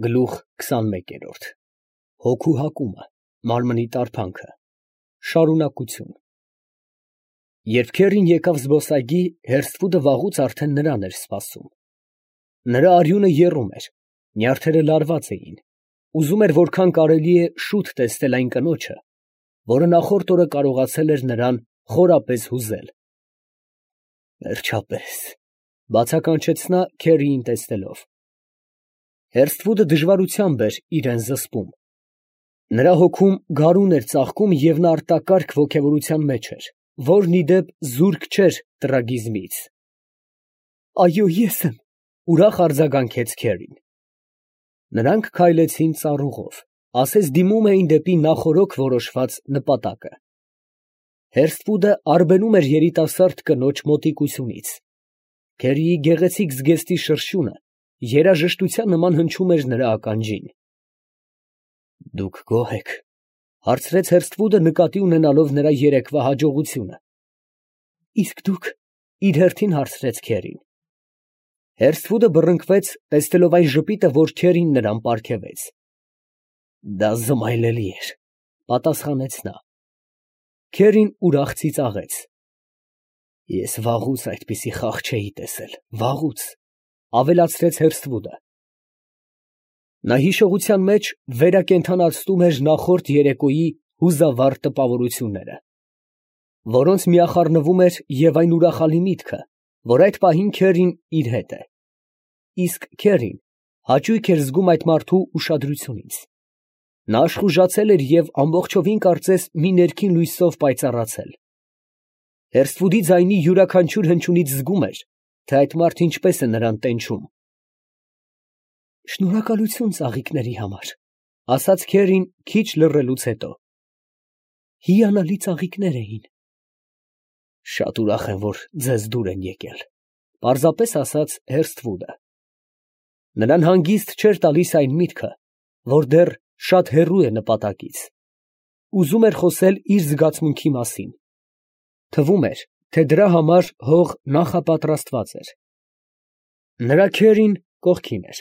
Գլուխ 21 Հոգու հակումը, մարմնի տարփանքը, շարունակություն։ Երբ քեռին եկավ զբոսայգի, Հերսթվուդը վաղուց արդեն նրան էր սպասում։ Նրա արյունը եռում էր, նյարդերը լարված էին, ուզում էր որքան կարելի է շուտ տեսնել այն կնոջը, որը նախորդ օրը կարողացել էր նրան խորապես հուզել։ Վերջապես, բացականչեց նա քեռիին տեսնելով։ Հերսթվուդը դժվարությամբ էր իրան զսպում։ Նրա հոգում գարուն էր ծաղկում և նա արտակարգ ոգևորության մեջ էր, որն ի դեպ զուրկ չէր տրագիզմից։ Այո, ես եմ, ուրախ արձագանքեց քեռին։ Նրանք քայլեցին ծառուղով, ասես դիմում էին դեպի նախօրոք որոշված նպատակը։ Հերսթվուդը արբենում էր երիտասարդ կնոջ մոտիկությունից։ Քեռիի գեղեցիկ զգեստի շրշյունը երաժշտության նման հնչում էր նրա ականջին։ Դուք գոհ եք, հարցրեց Հերսթվուդը նկատի ունենալով նրա երեկվա հաջողությունը։ Իսկ դուք, իր հերթին հարցրեց քեռին։ Հերսթվուդը բռնկվեց, տեսնելով այն ժպիտը, որ քեռին նրան պարգևեց։ Դա զմայլելի էր, պատասխանեց նա։ Քեռին ուրախ ծիծաղեց։ Ես վաղուց այդպիսի խաղ չէի տեսել, վաղուց, ավելացրեց Հերսթվուդը։ Նա հիշողության մեջ վերակենդանացնում էր նախորդ երեկոյի հուզավառ տպավորությունները, որոնց միախառնվում էր և այն ուրախալի միտքը, որ այդ պահին քեռին իր հետ է։ Իսկ քեռին հաճույք էր զգում այդ մարդու ուշադրությունից։ Նա աշխուժացել էր և ամբողջովին կարծես մի ներքին լույսով պայծառացել։ Հերսթվուդի ձայնի յուրաքանչյուր հնչյունից զգում էր, թե այդ մարդը ինչպես է նրան տենչում։ Շնորհակալություն ծաղիկների համար, ասաց քեռին քիչ լռելուց հետո։ Հիանալի ծաղիկներ էին։ Շատ ուրախ եմ, որ ձեզ դուր են եկել, պարզապես ասաց Հերսթվուդը։ Նրան հանգիստ չէր տալիս այն միտքը, որ դեռ շատ հեռու է նպատակից։ Ուզում էր խոսել իր զգացմունքի մասին։ Թվում էր, թե դրա համար հող նախապատրաստված էր։ Նրա քեռին կողքին էր։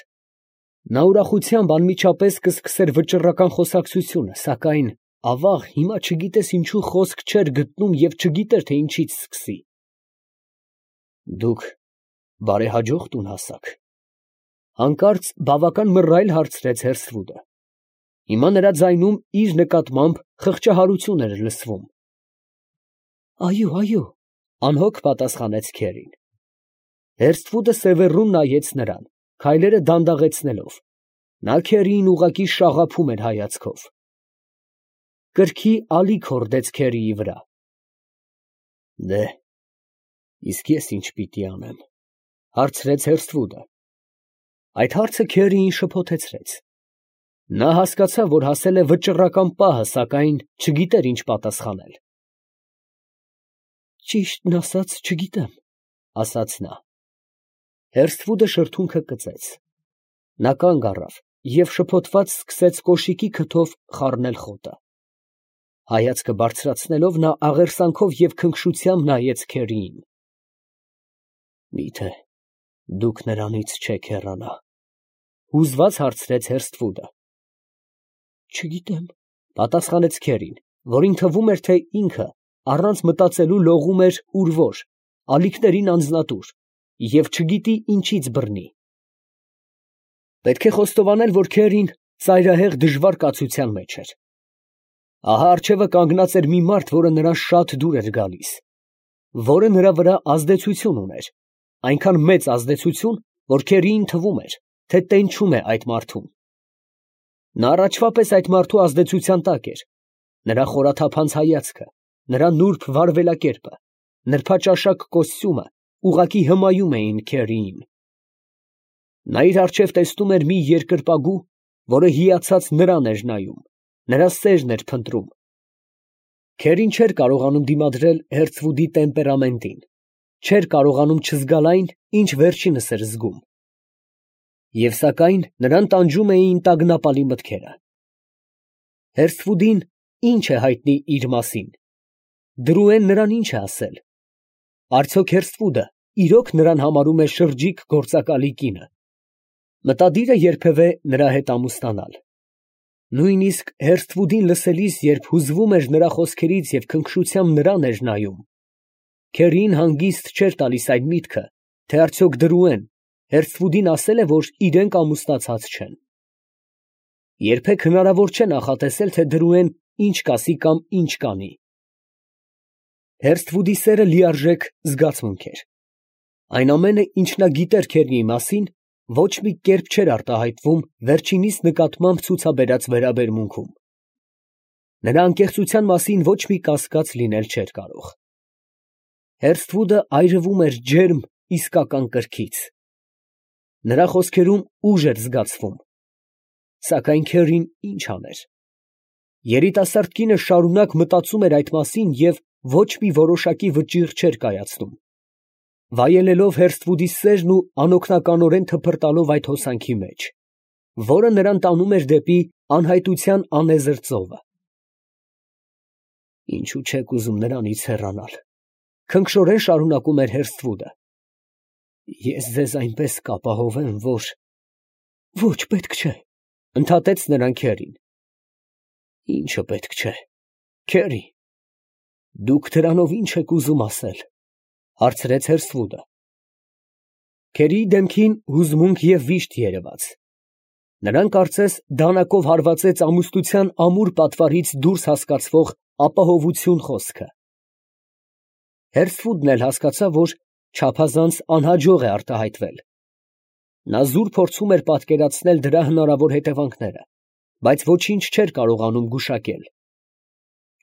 Նա ուրախությամբ անմիջապես կսկսեր վճռական խոսակցությունը, սակայն ավաղ հիմա չգիտես ինչու խոսք չէր գտնում և չգիտեր, թե ինչից սկսի։ Դուք բարեհաջող տուն հասաք։ Հանկարծ բավական մռայլ հարցրեց Հերսթվուդը։ Հիմա նրա ձայնում իր նկատմամբ խղճահարություն էր լսվում։ Այո, այո, անհոգ պատասխանեց քեռին։ Հերսթվուդը սևեռուն նայեց նրան, քայլերը դանդաղեցնելով։ Նա քեռիին ուղղակի շաղափում էր հայացքով։ Կրքի ալիք հորդեց քեռիի վրա։ Դե, իսկ ես ինչ պիտի անեմ, հարցրեց Հերսթվուդը։ Այդ հարցը քեռիին շփոթեցրեց։ Նա հասկացավ, որ հասել է վճռական պահը, սակայն չգիտեր ինչ պատասխանել։ Ճիշտն ասած, չգիտեմ, ասաց նա։ Հերսթվուդը շրթունքը կծեց։ Նա կանգ առավ և շփոթված սկսեց կոշիկի քթով խառնել խոտը։ Հայացքը բարձրացնելով նա աղերսանքով և քնքշությամբ նայեց քեռիին։ Միթե դուք նրանից չեք հեռանա, հուզված հարցրեց Հերսթվուդը։ Չգիտեմ, պատասխանեց քեռին, որին թվում էր, թե ինքը առանց մտածելու լողում էր ուր որ, ալիքներին անձնատուր, և չգիտի ինչից բռնի։ Պետք է խոստովանել, որ քեռին ծայրահեղ դժվար կացության մեջ էր։ Ահա առջևը կանգնած էր մի մարդ, որը նրան շատ դուր էր գալիս, որը նրա վրա ազդեցություն ուներ, այնքան մեծ ազդեցություն, որ քեռիին թվում էր, թե տենչում է այդ մարդուն։ Նա առաջվա պես այդ մարդու ազդեցության տակ էր։ Նրա խորաթափանց հայացքը, նրա նուրբ վարվելակերպը, նրբաճաշակ կոստյումը ուղղակի հմայում էին քեռիին։ Նա իր առջև տեսնում էր մի երկրպագու, որը հիացած նրան էր նայում, նրա սերն էր փնտրում։ Քեռին չէր կարողանում դիմադրել Հերսթվուդի տեմպերամենտին, չէր կարողանում չզգալ այն, ինչ վերջինս էր զգում։ Եվ սակայն նրան տանջում էին տագնապալի մտքերը։ Հերսթվուդին ինչ է հայտնի իր մասին։ Դրուեն նրան ինչ է ասել։ Արդյոք Հերսթվուդը իրոք նրան համարում է շրջիկ գործակալի կինը։ Մտադիր է երբևէ նրա հետ ամուսնանալ։ Նույնիսկ Հերսթվուդին լսելիս, երբ հուզվում էր նրա խոսքերից և քնքշությամբ նրան էր նայում, քերին հանգիստ չէր տալիս այն միտքը, թե արդյոք Դրուեն Հերսթվուդին ասել է, որ իրենք ամուսնացած չեն։ Երբեք հնարավոր չէ նախատեսել, թե Դրուեն ինչ կասի կամ ինչ կանի։ Հերսթվուդի սերը լիարժեք զգացմունք էր։ Այն ամենը, ինչ նա գիտեր Քերիի մասին, ոչ մի կերպ չէր արտահայտվում վերջինիս նկատմամբ ցուցաբերած վերաբերմունքում։ Նրա անկեղծության մասին ոչ մի կասկած լինել չէր կարող։ Հերսթվուդը այրվում էր ջերմ, իսկական կրքից։ Նրա խոսքերում ուժ էր զգացվում։ Սակայն Քերին ինչ աներ։ Երիտասարդ կինը շարունակ մտածում էր այդ մասին և ոչ մի որոշակի վճիռ չէր կայացնում, վայելելով Հերսթվուդի սերն ու անօգնականորեն թփրտալով այդ հոսանքի մեջ, որը նրան տանում էր դեպի անհայտության անեզր ծովը։ Ինչու չեք ուզում նրանից հեռանալ, քնքշորեն շարունակում էր Հերսթվուդը։ Ես ձեզ այնպես կապահովեմ, որ… Ոչ, պետք չէ, ընդհատեց նրան Քերին։ Ինչը պետք չէ, Քերի, դուք դրանով ինչ եք ուզում ասել, հարցրեց Հերսթվուդը։ Քերիի դեմքին հուզմունք և վիշտ երևաց։ Նրան կարծես դանակով հարվածեց ամուսնության ամուր պատվարից դուրս հասկացվող ապահովություն խոսքը։ Հերսթվուդն էլ հասկացավ, որ չափազանց անհաջող է արտահայտվել։ Նա զուր փորձում էր պատկերացնել դրա հնարավոր հետևանքները, բայց ոչինչ չէր կարողանում գուշակել։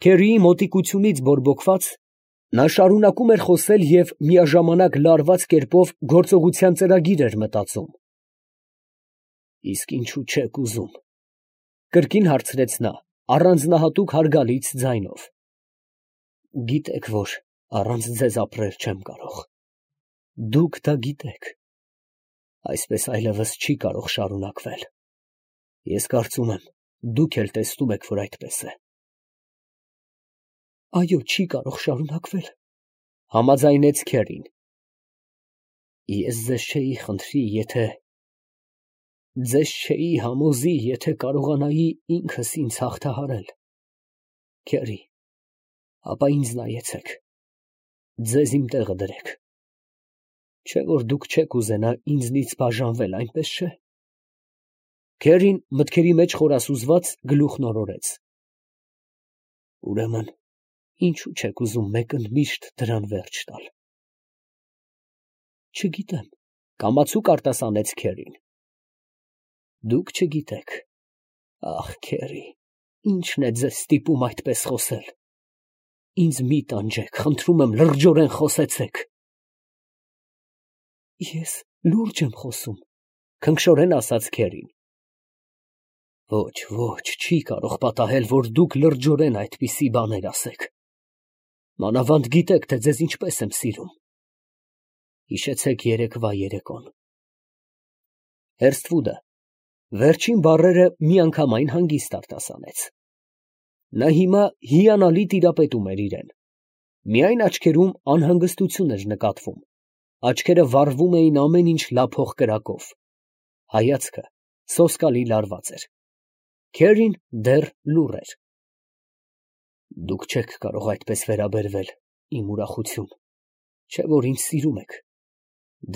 Քերիի մոտիկությունից բորբոքված, նա շարունակում էր խոսել և միաժամանակ լարված կերպով գործողության ծրագիր էր մտածում։ Իսկ ինչու չեք ուզում, կրկին հարցրեց նա, առանձնահատուկ հարգալից ձայնով։ Գիտեք, որ առանց ձեզ ապրել չեմ կարող։ Դուք դա գիտեք։ Այսպես այլևս չի կարող շարունակվել։ Ես կարծում եմ, դուք էլ տեսնում եք, որ այդպես է։ Այո, չի կարող շարունակվել, համաձայնեց Քերին։ Ես ձեզ չէի համոզի, եթե կարողանայի ինքս ինձ հաղթահարել։ Քերի, ապա ինձ նայեցեք, ձեզ իմ տեղը դրեք։ Չէ՞ որ դուք չեք ուզենա ինձնից բաժանվել, այնպես չէ։ Քերին մտքերի մեջ խորասուզված գլուխն օրորեց։ Ուրեմն, ինչու չեք ուզում մեկընդմիշտ դրան վերջ տալ։ Չգիտեմ, կամացուկ արտասանեց Քերին։ Դուք չգիտեք։ Ախ, Քերի, ինչն է ձեզ ստիպում այդպես խոսել։ Ինձ մի տանջեք, խնդրում եմ, լրջորեն խոսեցեք։ Ես լուրջ եմ խոսում, քնքշորեն ասաց Քերին։ Ոչ, չի կարող պատահել, որ դուք լրջորեն այդպիսի բաներ ասեք։ Մանավանդ գիտեք, թե ձեզ ինչպես եմ սիրում։ Հիշեցեք երեկվա երեկոն։ Հերսթվուդը վերջին բառերը միանգամայն հանգիստ արտասանեց։ Նա հիմա հիանալի տիրապետում էր իրեն։ Միայն աչքերում անհանգստություն էր նկատվում, աչքերը վառվում էին ամեն ինչ լափող կրակով, հայացքը սոսկալի լարված էր։ Քերին դեռ լուռ էր։ Դուք չեք կարող այդպես վերաբերվել իմ ուրախություն, չէ՞ որ ինձ սիրում եք։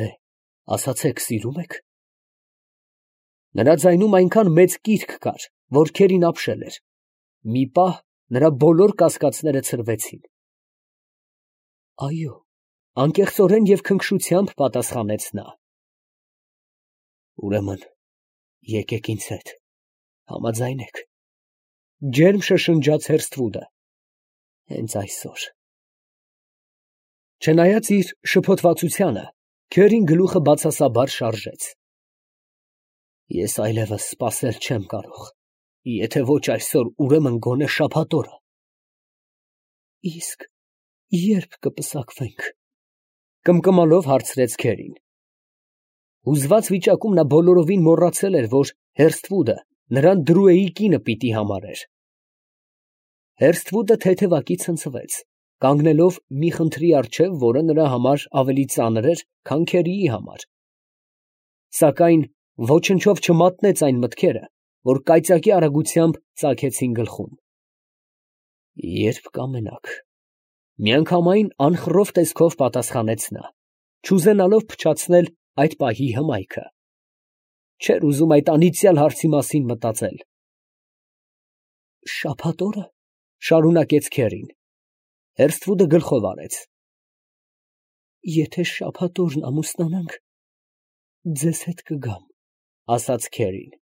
Դե, ասացեք, սիրում եք։ Նրա ձայնում այնքան մեծ կիրք կար, որ Քերին ապշել էր։ Մի պահ նրա բոլոր կասկածները ցրվեցին։ Այո, անկեղծորեն և քնքշությամբ պատասխանեց նա։ Ուրեմն, եկեք ինձ հետ, համաձայնեք։ Ջերմ շշնջաց Հերսթվուդը։ Հենց այսօր։ Չնայած իր շփոթվածությանը, Քերին գլուխը բացասաբար շարժեց։ Ես այլևս սպասել չեմ կարող։ Եթե ոչ այսօր, ուրեմն գոնե շաբաթ օրը։ Իսկ ե՞րբ կպսակվենք, կմկմալով հարցրեց Քերին։ Հուզված վիճակում նա բոլորովին մոռացել էր, որ Հերսթվուդը նրան Դրուեի կինը պիտի համարեր։ Հերսթվուդը թեթևակի ցնցվեց, կանգնելով մի խնդրի առջև, որը նրա համար ավելի ծանր էր, քան Քերիի համար։ Սակայն ոչնչով չմատնեց այն մտքերը, որ կայծակի արագությամբ ծագեցին գլխում։ Երբ կամենաք, միանգամայն անխռով տեսքով պատասխանեց նա, չուզենալով փչացնել այդ պահի հմայքը։ Չէր ուզում այդ անիծյալ հարցի մասին մտածել։ Շաբաթ օրը, շարունակեց Քերին, Հերսթվուդը գլխով արեց։ Եթե շաբաթ օրն ամուսնանանք, ձեզ հետ կգամ, ասաց Քերին։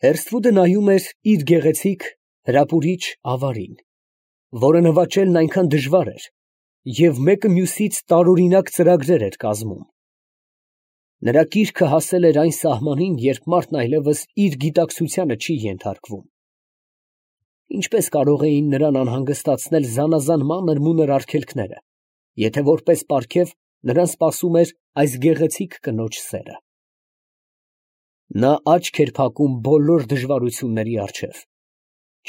Հերսթվուդը նայում էր իր գեղեցիկ, հրապուրիչ ավարին, որը նվաճելն այնքան դժվար էր և մեկը մյուսից տարօրինակ ծրագրեր էր կազմում։ Նրա կիրքը հասել էր այն սահմանին, երբ մարդն այլևս իր գիտակցությանը չի ենթարկվում։ Ինչպես կարող էին նրան անհանգստացնել զանազան մանր-մունր արգելքները, եթե որպես պարգև նրան սպասում էր այս գեղեցիկ կնոջ սերը։ Նա աչք էր փակում բոլոր դժվարությունների առջև,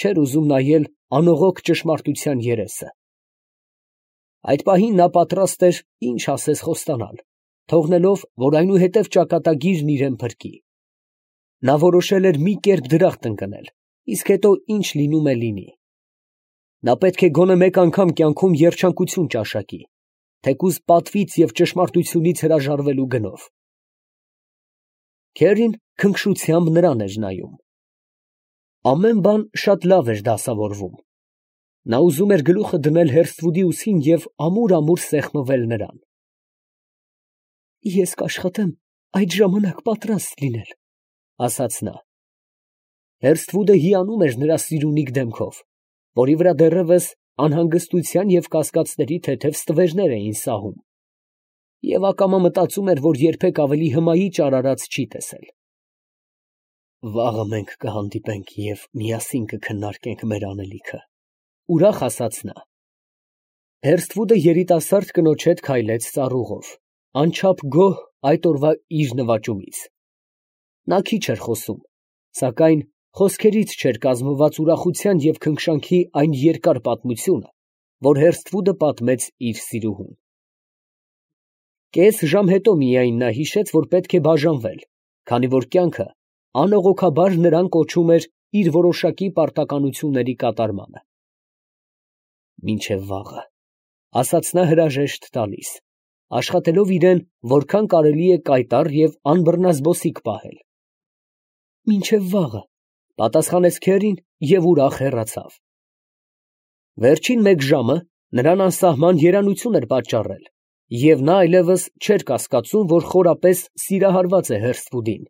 չէր ուզում նայել անողոք ճշմարտության երեսը։ Այդ պահին նա պատրաստ էր ինչ ասես խոստանալ, թողնելով, որ այնուհետև ճակատագիրն իրան փրկի։ Նա որոշել էր մի կերպ դրախտ ընկնել, իսկ հետո ինչ լինում է լինի։ Նա պետք է գոնե մեկ անգամ կյանքում երջանկություն ճաշակի, թեկուզ պատվից և ճշմարտությունից հրաժարվելու գնով։ Քերին քնքշությամբ նրան էր նայում։ Ամեն բան շատ լավ էր դասավորվում։ Նա ուզում էր գլուխը դնել Հերսթվուդի ուսին և ամուր սեղմվել նրան։ Ես կաշխատեմ այդ ժամանակ պատրաստ լինել, ասաց նա։ Հերսթվուդը հիանում էր նրա սիրունիկ դեմքով, որի վրա դեռևս անհանգստության և կասկածների թեթև ստվերներ էին սահում, և ակամա մտածում էր, որ երբեք ավելի հմայիչ արարած չի տեսել։ Վաղը մենք կհանդիպենք և միասին կքննարկենք մեր անելիքը, ուրախ ասաց նա։ Հերսթվուդը երիտասարդ կնոջ հետ քայլեց ծառուղով, անչափ գոհ այդ օրվա իր նվաճումից։ Նա քիչ էր խոսում, սակայն խոսքերից չէր կազմված ուրախության և քնքշանքի այն երկար պատմությունը, որ Հերսթվուդը պատմեց իր սիրուհուն։ Կես ժամ հետո միայն նա հիշեց, որ պետք է բաժանվել, քանի որ կյանքը անողոքաբար նրան կոչում էր իր որոշակի պարտականությունների կատարմանը։ Մինչև վաղը, ասաց նա հրաժեշտ տալիս, աշխատելով իրեն որքան կարելի է կայտառ և անբռնազբոսիկ պահել։ Մինչև վաղը, պատասխանեց Քերին և ուրախ հեռացավ։ Վերջին մեկ ժամը նրան անսահման երանություն էր պատճառել, և նա այլևս չէր կասկածում, որ խորապես սիրահարված է Հերսթվուդին։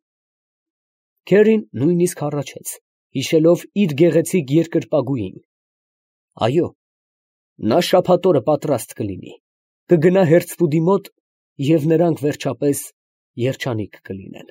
Քերին նույնիսկ հառաչեց, հիշելով իր գեղեցիկ երկրպագուին։ Այո, նա շաբաթ օրը պատրաստ կլինի, կգնա Հերսթվուդի մոտ, և նրանք վերջապես երջանիկ կլինեն։